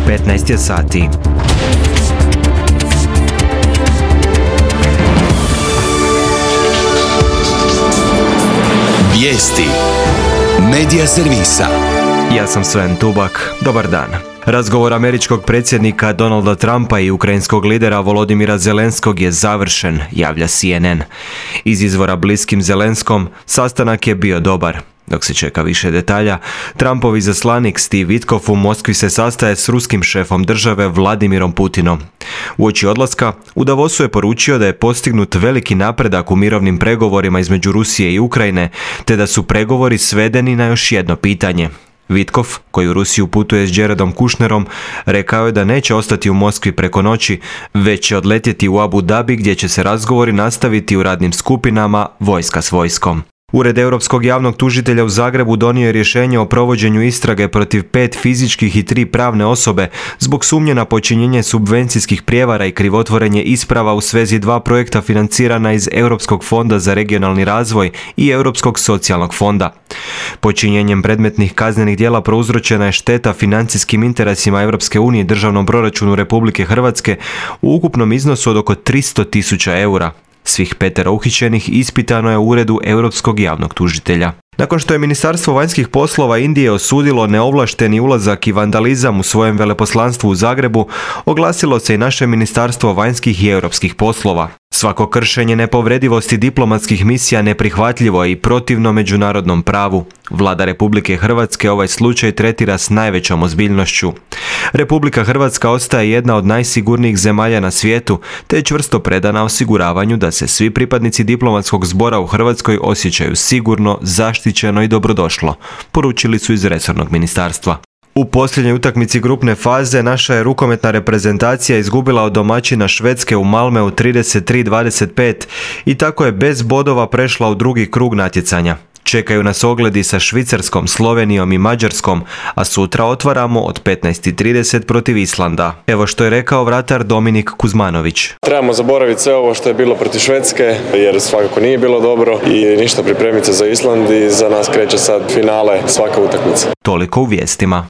15 je sati. Vijesti Medija servisa. Ja sam Sven Tubak. Dobar dan. Razgovor američkog predsjednika Donalda Trumpa i ukrajinskog lidera Volodimira Zelenskog je završen, javlja CNN. Iz izvora bliskim Zelenskom, sastanak je bio dobar. Dok se čeka više detalja, Trumpov izaslanik Steve Witkoff u Moskvi se sastaje s ruskim šefom države Vladimirom Putinom. Uoči odlaska, u Davosu je poručio da je postignut veliki napredak u mirovnim pregovorima između Rusije i Ukrajine, te da su pregovori svedeni na još jedno pitanje. Witkoff, koji u Rusiju putuje s Jaredom Kushnerom, rekao je da neće ostati u Moskvi preko noći, već će odletjeti u Abu Dhabi gdje će se razgovori nastaviti u radnim skupinama, vojska s vojskom. Ured Europskog javnog tužitelja u Zagrebu donio je rješenje o provođenju istrage protiv 5 fizičkih i 3 pravne osobe zbog sumnje na počinjenje subvencijskih prijevara i krivotvorenje isprava u svezi 2 projekta financirana iz Europskog fonda za regionalni razvoj i Europskog socijalnog fonda. Počinjenjem predmetnih kaznenih djela prouzročena je šteta financijskim interesima Europske unije i državnom proračunu Republike Hrvatske u ukupnom iznosu od oko 300.000 eura. Svih 5 uhićenih ispitano je u Uredu Europskog javnog tužitelja. Nakon što je Ministarstvo vanjskih poslova Indije osudilo neovlašteni ulazak i vandalizam u svojem veleposlanstvu u Zagrebu, oglasilo se i naše Ministarstvo vanjskih i europskih poslova. Svako kršenje nepovredivosti diplomatskih misija neprihvatljivo je i protivno međunarodnom pravu. Vlada Republike Hrvatske ovaj slučaj tretira s najvećom ozbiljnošću. Republika Hrvatska ostaje jedna od najsigurnijih zemalja na svijetu, te je čvrsto predana osiguravanju da se svi pripadnici diplomatskog zbora u Hrvatskoj osjećaju sigurno, zaštićeno i dobrodošlo, poručili su iz resornog ministarstva. U posljednjoj utakmici grupne faze naša je rukometna reprezentacija izgubila od domaćina Švedske u Malmeu 33-25 i tako je bez bodova prešla u drugi krug natjecanja. Čekaju nas ogledi sa Švicarskom, Slovenijom i Mađarskom, a sutra otvaramo od 15:30 protiv Islanda. Evo što je rekao vratar Dominik Kuzmanović. Trebamo zaboraviti sve ovo što je bilo protiv Švedske, jer svakako nije bilo dobro i ništa pripremiti se za Island i za nas kreće sad finale svaka utakmica. Toliko u vijestima.